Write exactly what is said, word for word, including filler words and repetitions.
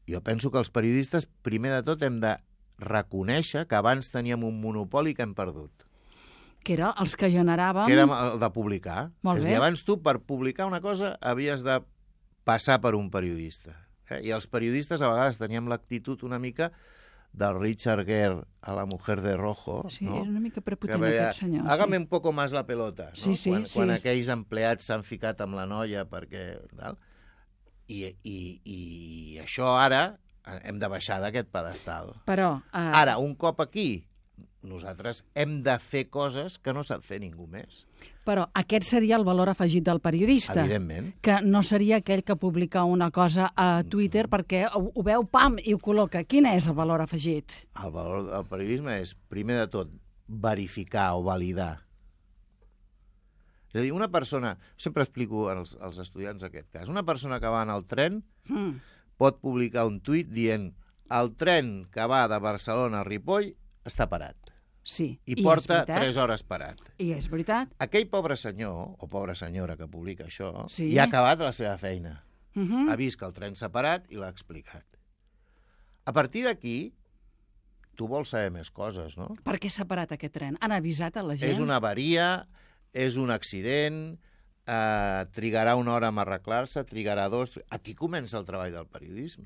jo penso que els periodistes, primer de tot, hem de reconèixer que abans teníem un monopoli que hem perdut. Que era els que generàvem... Que era el de publicar. Molt És bé. a dir, abans tu, per publicar una cosa, havies de passar per un periodista. Eh? I els periodistes a vegades teníem l'actitud una mica del Richard Gere a La mujer de rojo. Sí, no? era una mica prepotent Que veia, aquest senyor. hágame sí. un poco más la pelota. No? Sí, sí, quan, sí. quan aquells empleats s'han ficat amb la noia perquè... Tal? I, i, I això ara hem de baixar d'aquest pedestal. Però... Uh... Ara, un cop aquí, nosaltres hem de fer coses que no sap fer ningú més. Però aquest seria el valor afegit del periodista. Evidentment. Que no seria aquell que publica una cosa a Twitter perquè ho, ho veu, pam, i ho col·loca. Quin és el valor afegit? El valor del periodisme és, primer de tot, verificar o validar. És a dir, una persona... Sempre explico als, als estudiants aquest cas. Una persona que va en el tren Mm. pot publicar un tuit dient el tren que va de Barcelona a Ripoll està parat. Sí. I, I porta és veritat. tres hores parat. I és veritat. Aquell pobre senyor, o pobra senyora que publica això, Sí. ja ha acabat la seva feina. Uh -huh. Ha vist que el tren s'ha parat i l'ha explicat. A partir d'aquí, tu vols saber més coses, no? Per què s'ha parat aquest tren? Han avisat a la gent? És una avaria, és un accident, eh, trigarà una hora en arreglar-se, trigarà dos... Aquí comença el treball del periodisme.